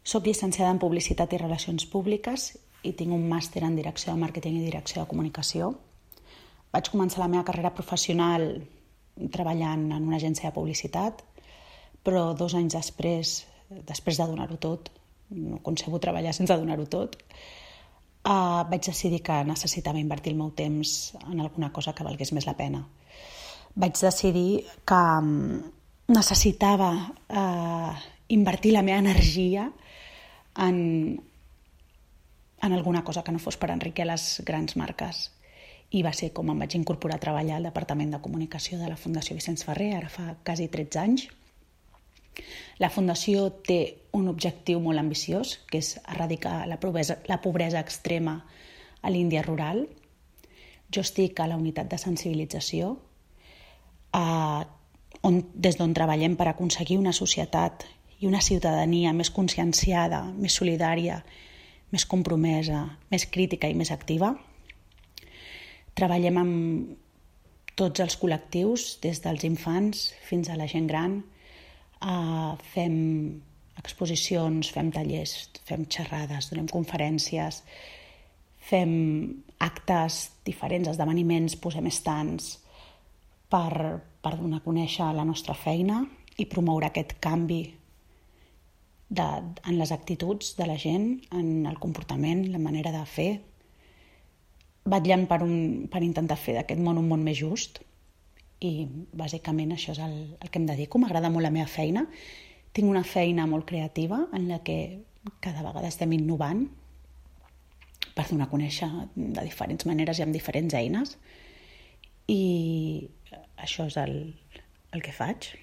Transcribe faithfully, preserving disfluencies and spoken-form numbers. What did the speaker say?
Soc llicenciada en Publicitat i Relacions Públiques i tinc un màster en Direcció de Màrqueting i Direcció de Comunicació. Vaig començar la meva carrera professional treballant en una agència de publicitat, però dos anys després, després de donar-ho tot, no concebo treballar sense donar-ho tot, uh, vaig decidir que necessitava invertir el meu temps en alguna cosa que valgués més la pena. Vaig decidir que um, necessitava uh, invertir la meva energia en, en alguna cosa que no fos per enriquir les grans marques. I va ser com em vaig incorporar a treballar al Departament de Comunicació de la Fundació Vicenç Ferrer, ara fa quasi tretze anys. La Fundació té un objectiu molt ambiciós, que és erradicar la pobresa, la pobresa extrema a l'Índia rural. Jo estic a la unitat de sensibilització, eh, on, des d'on treballem per aconseguir una societat i una ciutadania més conscienciada, més solidària, més compromesa, més crítica i més activa. Treballem amb tots els col·lectius, des dels infants fins a la gent gran. Uh, fem exposicions, fem tallers, fem xerrades, donem conferències, fem actes diferents, esdeveniments, posem estants per, per donar a conèixer la nostra feina i promoure aquest canvi de, en les actituds de la gent, en el comportament, la manera de fer, vetllant per, un, per intentar fer d'aquest món un món més just. I bàsicament això és el, el que em dedico. M'agrada molt la meva feina. Tinc una feina molt creativa en la que cada vegada estem innovant per donar a conèixer de diferents maneres i amb diferents eines. I això és el, el que faig.